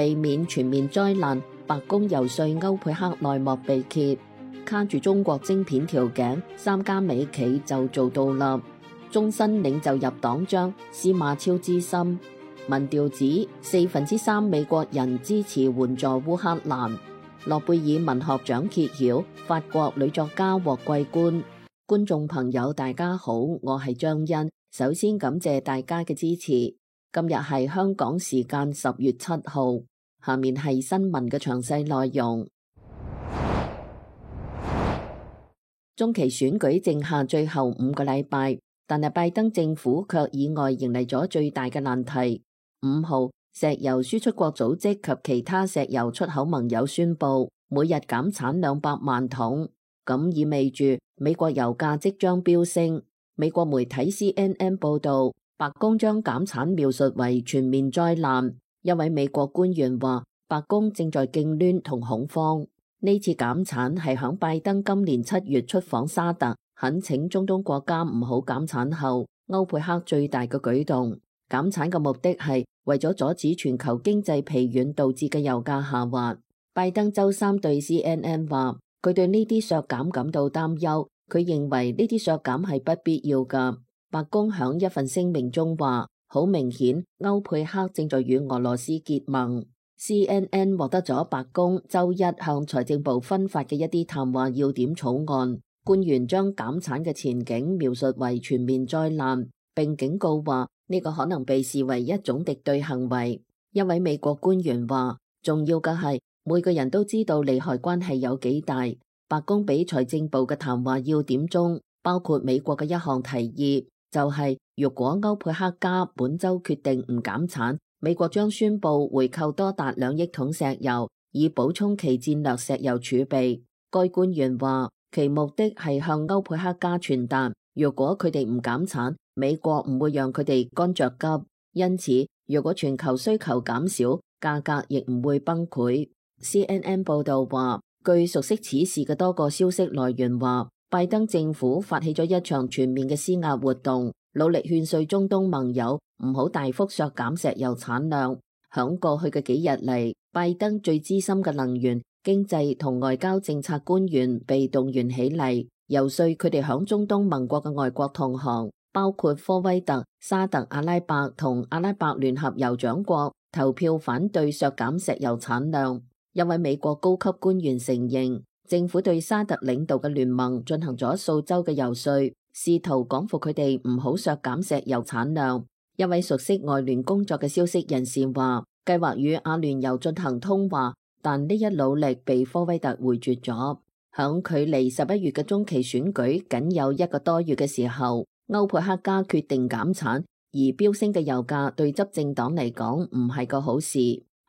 避免全面災難，白宮游說歐佩克內幕被揭，卡住中國晶片條頸，3家美企就做到啦。終身領袖入黨章，司馬超之心。民調指3%美國人支持援助烏克蘭。諾貝爾文學獎揭曉，法國女作家獲桂冠。觀眾朋友大家好，我係張欣，首先感謝大家嘅支持。今日係香港時間10月7號，下面係新聞嘅詳細內容。中期選舉剩下最後5個禮拜，但係拜登政府卻意外迎嚟咗最大嘅難題。5號，石油輸出國組織及其他石油出口盟友宣布每日減產200萬桶，咁意味住美國油價即將飆升。美國媒體 CNN 報道，白宮將減產描述為全面災難。一位美國官員話，白宮正在痙攣同恐慌。呢次減產係響拜登今年7月出訪沙特，懇請中東國家唔好減產後，歐佩克最大嘅舉動。減產嘅目的係為咗阻止全球經濟疲軟導致嘅油價下滑。拜登周三對 CNN 話，佢對呢啲削減感到擔憂，佢認為呢啲削減係不必要㗎。白宮響一份聲明中話，好明顯歐佩克正在與俄羅斯結盟。CNN 獲得咗白宮周一向財政部分發嘅一啲談話要點草案，官員將減產嘅前景描述為全面災難，並警告話呢個可能被視為一種敵對行為。一位美國官員話，重要嘅係每個人都知道利害關係有幾大。白宮俾財政部嘅談話要點中包括美國嘅一項提議，就係如果歐佩克家本週決定唔減產，美國將宣布回購多達2億桶石油，以補充其戰略石油儲備。該官員話，其目的係向歐佩克家傳達，如果佢哋唔減產，美國唔會讓佢哋乾着急。因此，如果全球需求減少，價格亦唔會崩潰。CNN 報道話，據熟悉此事嘅多個消息來源話，拜登政府發起咗一場全面嘅施壓活動，努力勸說中東盟友唔好大幅削減石油產量。響過去嘅幾日嚟，拜登最資深嘅能源、經濟同外交政策官員被動員起嚟，游說佢哋響中東盟國嘅外國同行，包括科威特、沙特阿拉伯同阿拉伯聯合酋長國，投票反對削減石油產量。一位美國高級官員承認，政府對沙特領導嘅聯盟進行咗數週嘅游說，試圖講服佢哋唔好削減石油產量。一位熟悉外聯工作嘅消息人士話，計劃與阿聯酋進行通話，但呢一努力被科威特回絕咗。響距離11月嘅中期選舉僅有1個多月嘅時候，歐佩克家決定減產，而飆升嘅油價對執政黨嚟講唔係個好事。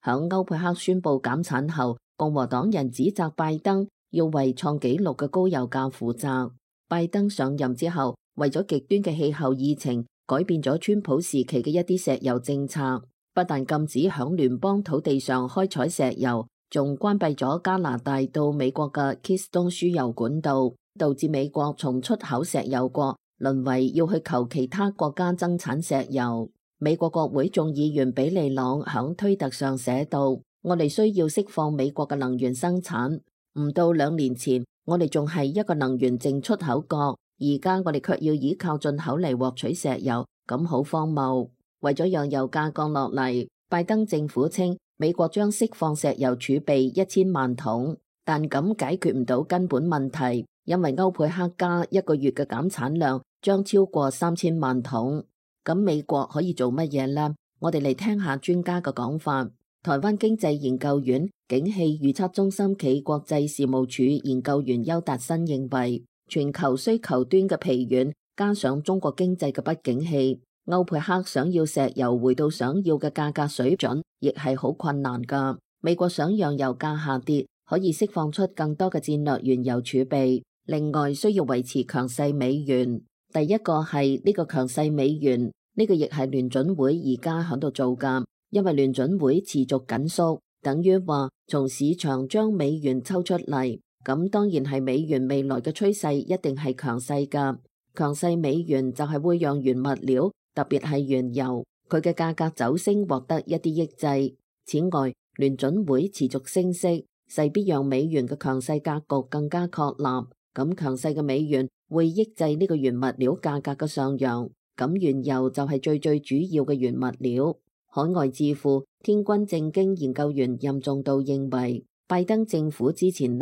響歐佩克宣布減產後，共和黨人指責拜登要為創紀錄嘅高油價負責。拜登上任之後，為咗極端嘅氣候議程，改變咗川普時期嘅一啲石油政策，不但禁止響聯邦土地上開採石油，仲關閉咗加拿大到美國嘅 Keystone 輸油管道，導致美國從出口石油國淪為要去求其他國家增產石油。美國國會眾議員比利朗響推特上寫道，我哋需要釋放美國嘅能源生產。唔到2年前，我哋仲係一個能源淨出口國，而家我哋卻要依靠進口嚟獲取石油，咁好荒謬。為咗讓油價降落嚟，拜登政府稱美國將釋放石油儲備1000萬桶，但咁解決唔到根本問題，因為歐佩克家1個月嘅減產量將超過3000萬桶。咁美國可以做乜嘢呢？我哋嚟聽下專家嘅講法。台灣經濟研究院景氣預測中心暨國際事務處研究員邱達新認為，全球需求端嘅疲軟，加上中國經濟嘅不景氣，歐佩克想要石油回到想要嘅價格水準，亦係好困難㗎。美國想讓油價下跌，可以釋放出更多嘅戰略原油儲備，另外需要維持強勢美元。第一個係呢個強勢美元，呢個亦係聯準會而家喺度做㗎，因為聯準會持續緊縮，等於話從市場將美元抽出嚟，咁當然係美元未來嘅趨勢一定係強勢㗎。強勢美元就係會讓原物料，特別係原油，佢嘅價格走升獲得一啲抑制。此外，聯準會持續升息，勢必讓美元嘅強勢格局更加確立。咁強勢嘅美元會抑制呢個原物料價格嘅上揚。咁原油就係最主要嘅原物料。海外智庫天君政經研究員任重道認為，拜登政府之前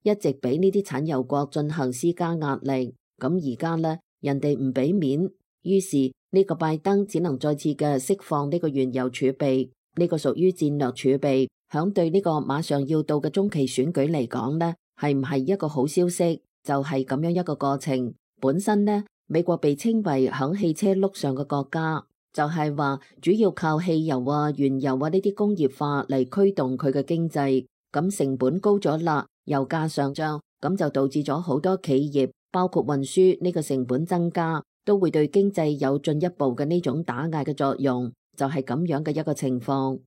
一直俾呢啲產油國進行施加壓力，咁而家人哋唔俾面，於是呢個拜登只能再次嘅釋放呢個原油儲備，呢個屬於戰略儲備，響對呢個馬上要到嘅中期選舉嚟講係唔係一個好消息？就係咁樣一個過程。本身美國被稱為響汽車路上嘅國家，就係話主要靠汽油啊、原油啊呢啲工業化嚟驅動佢嘅經濟。咁成本高咗啦，油價上漲，咁就導致咗好多企業，包括運輸呢個成本增加，都會對經濟有進一步嘅呢種打壓嘅作用，就係咁樣嘅一個情況。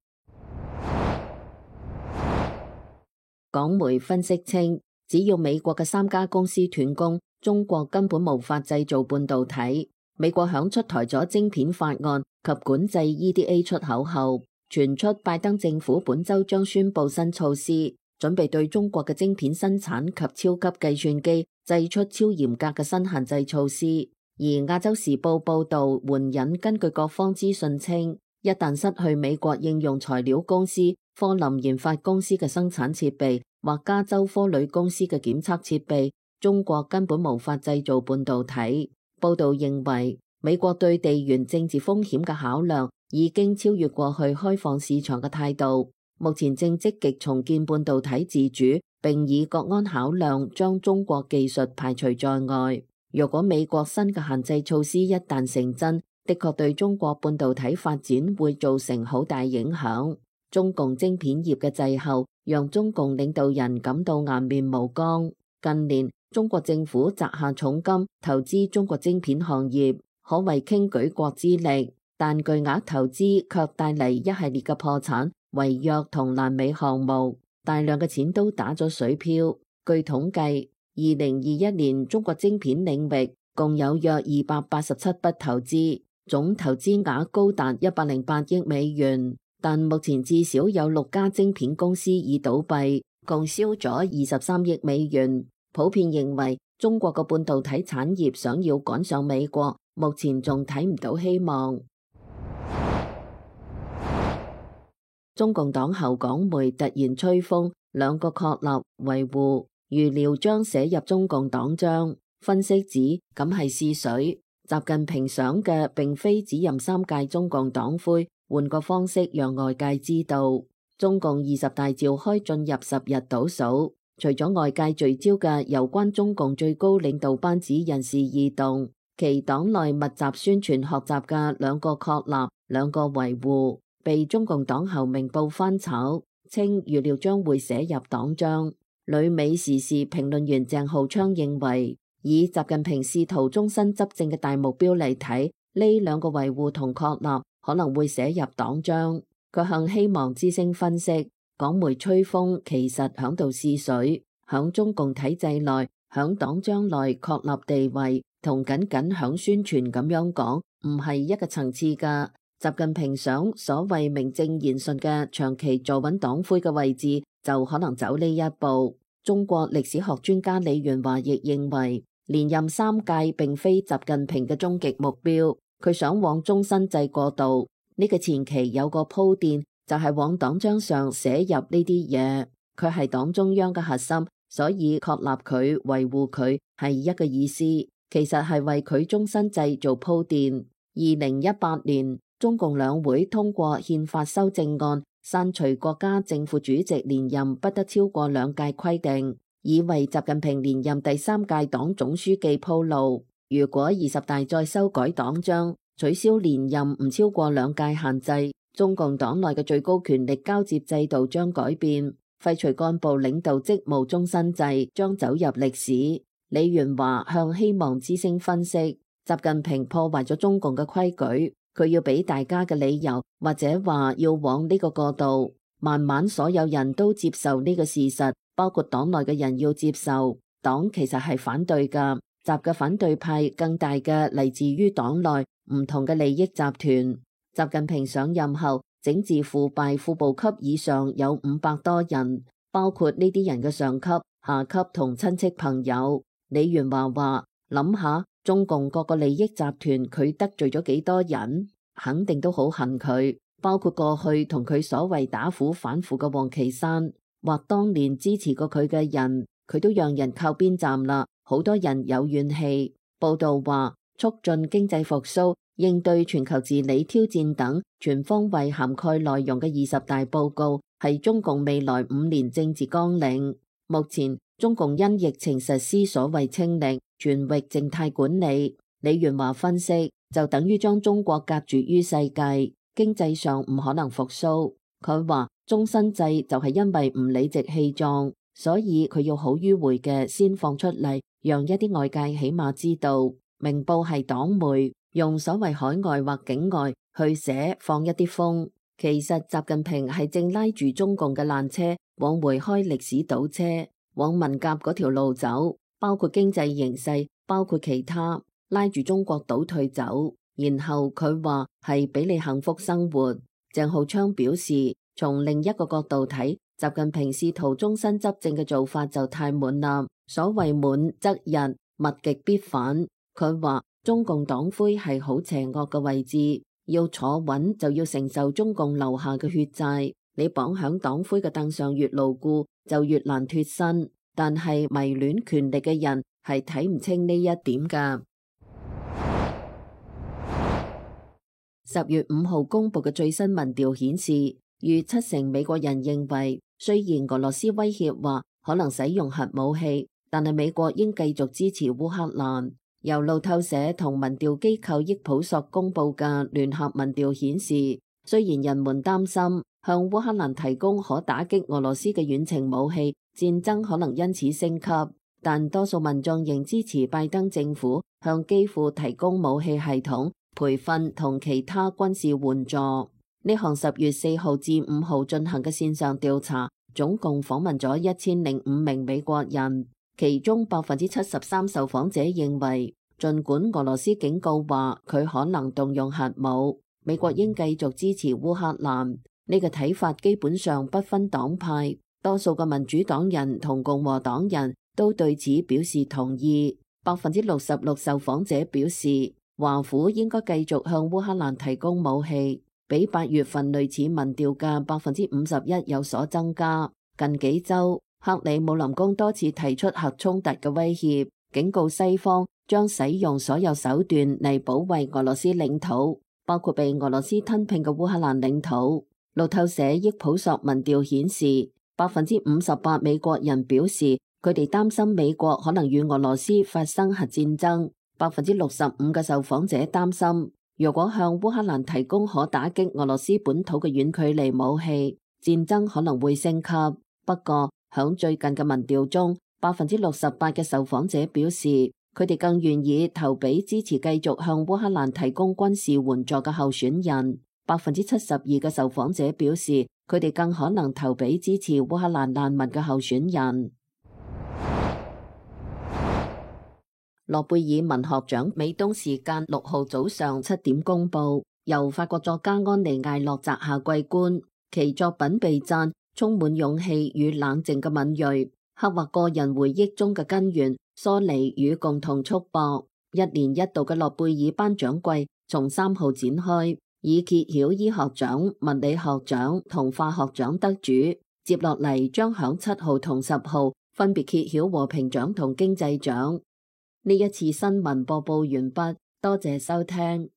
港媒分析稱，只要美國嘅3家公司斷供，中國根本無法製造半導體。美國響出台咗晶片法案及管制 EDA 出口後，傳出拜登政府本週將宣布新措施，準備對中國嘅晶片生產及超級計算機祭出超嚴格嘅新限制措施。而亞洲時報報導援引根據各方資訊稱，一旦失去美國應用材料公司、科林研發公司嘅生產設備或加州科鋁公司嘅檢測設備，中國根本無法製造半導體。報導認為，美國對地緣政治風險嘅考量已經超越過去開放市場嘅態度，目前正積極重建半導體自主，並以國安考量將中國技術排除在外。若果美國新嘅限制措施一旦成真，的確對中國半導體發展會造成好大影響。中共晶片業嘅滯後，讓中共領導人感到顏面無光。近年，中國政府砸下重金投資中國晶片行業，可謂傾舉國之力，但巨額投資卻帶嚟一系列嘅破產、違約同爛尾項目，大量嘅錢都打咗水漂。據統計，2021年中國晶片領域共有約287筆投資，總投資額高達108億美元，但目前至少有6家晶片公司已倒閉，共燒咗23億美元。普遍認為中國嘅半導體產業想要趕上美國，目前仲睇唔到希望。中共黨後港媒突然吹風，2個確立維護，預料將寫入中共黨章。分析指咁係試水，習近平想嘅並非只任3屆中共黨魁，換個方式讓外界知道，中共20大召開進入10日倒數。除咗外界聚焦嘅有關中共最高領導班子人事異動，其黨內密集宣傳學習嘅2個確立、2個維護，被中共黨後明報翻炒，稱預料將會寫入黨章。旅美時事評論員鄭浩昌認為，以習近平試圖終身執政嘅大目標嚟睇，呢2個維護同確立可能會寫入黨章。佢向希望之聲分析，港媒吹風其實響度試水，響中共體制內，響黨章內確立地位，同僅響宣傳咁樣講，唔係一個層次㗎。習近平想所謂名正言順嘅長期坐穩黨魁嘅位置，就可能走呢一步。中國歷史學專家李元華亦認為，連任3屆並非習近平嘅終極目標，佢想往終身制過渡。呢個前期有個鋪墊，就係往黨章上寫入呢啲嘢，佢係黨中央嘅核心，所以確立佢、維護佢係一個意思，其實係為佢終身制做鋪墊。2018年，中共兩會通過憲法修正案，刪除國家正副主席連任不得超過2屆規定，以為習近平連任第3屆黨總書記鋪路。如果20大再修改黨章，取消連任唔超過2屆限制，中共黨內嘅最高權力交接制度將改變，廢除幹部領導職務終身制將走入歷史。李元華向希望之聲分析，習近平破壞咗中共嘅規矩，佢要俾大家嘅理由，或者話要往呢個過渡，慢慢所有人都接受呢個事實，包括黨內嘅人要接受。黨其實係反對㗎，習嘅反對派更大嘅嚟自於黨內唔同嘅利益集團。習近平上任後整治腐敗副部級以上有500多人，包括呢啲人嘅上級、下級同親戚朋友。李元華話：諗下中共各個利益集團，佢得罪咗幾多人，肯定都好恨佢。包括過去同佢所謂打虎反腐嘅王岐山，或當年支持過佢嘅人，佢都讓人靠邊站啦。好多人有怨氣。報道話，促進經濟復甦、應對全球治理挑戰等全方位涵蓋內容嘅20大報告係中共未來5年政治綱領。目前中共因疫情實施所謂清零、全域靜態管理。李元華分析，就等於將中國隔絕於世界，經濟上唔可能復甦。佢話終身制就係因為唔理直氣壯，所以佢要好迂迴嘅先放出嚟，讓一啲外界起碼知道。明報係黨媒，用所謂海外或境外去寫放一啲風，其實習近平係正拉住中共嘅爛車往回開歷史倒車，往文革嗰條路走，包括經濟形勢，包括其他，拉住中國倒退走。然後佢話係俾你幸福生活。鄭浩昌表示，從另一個角度睇，習近平試圖終身執政嘅做法就太滿啦。所謂滿則溢，物極必反。佢話中共黨魁係好邪惡嘅位置，要坐穩就要承受中共留下嘅血債。你綁響黨魁嘅凳上越牢固，就越難脫身。但係迷戀權力嘅人係睇唔清呢一點㗎。10月5號公布嘅最新民調顯示，逾70%美國人認為，雖然俄羅斯威脅話可能使用核武器，但係美國應繼續支持烏克蘭。由路透社同民調機構益普索公布嘅聯合民調顯示，雖然人們擔心向烏克蘭提供可打擊俄羅斯嘅遠程武器，戰爭可能因此升級，但多數民眾仍支持拜登政府向基輔提供武器系統、培訓同其他軍事援助。呢項10月4號至5號進行嘅線上調查，總共訪問咗1005名美國人。其中73%受訪者認為，儘管俄羅斯警告話佢可能動用核武，美國應繼續支持烏克蘭。呢個睇法基本上不分黨派，多數嘅民主黨人同共和黨人都對此表示同意。66%受訪者表示，華府應該繼續向烏克蘭提供武器，比8月份類似民調嘅51%有所增加。近幾週，克里姆林宮多次提出核衝突嘅威脅，警告西方將使用所有手段嚟保衛俄羅斯領土，包括被俄羅斯吞併嘅烏克蘭領土。路透社益普索民調顯示，58%美國人表示佢哋擔心美國可能與俄羅斯發生核戰爭。65%嘅受訪者擔心，如果向烏克蘭提供可打擊俄羅斯本土嘅遠距離武器，戰爭可能會升級。不過，響最近嘅民調中，68%嘅受訪者表示，佢哋更願意投俾支持繼續向烏克蘭提供軍事援助嘅候選人。72%嘅受訪者表示，佢哋更可能投俾支持烏克蘭難民嘅候選人。諾貝爾文學獎美東時間6號早上7點公布，由法國作家安妮艾洛摘下桂冠。其作品被讚充滿勇氣與冷靜嘅敏銳，刻畫個人回憶中嘅根源、疏離與共同束縛。1年1度嘅諾貝爾頒獎季從3號展開，以揭曉醫學獎、物理學獎同化學獎得主。接落嚟將響7號同10號分別揭曉和平獎同經濟獎。呢一次新聞播報完畢，多謝收聽。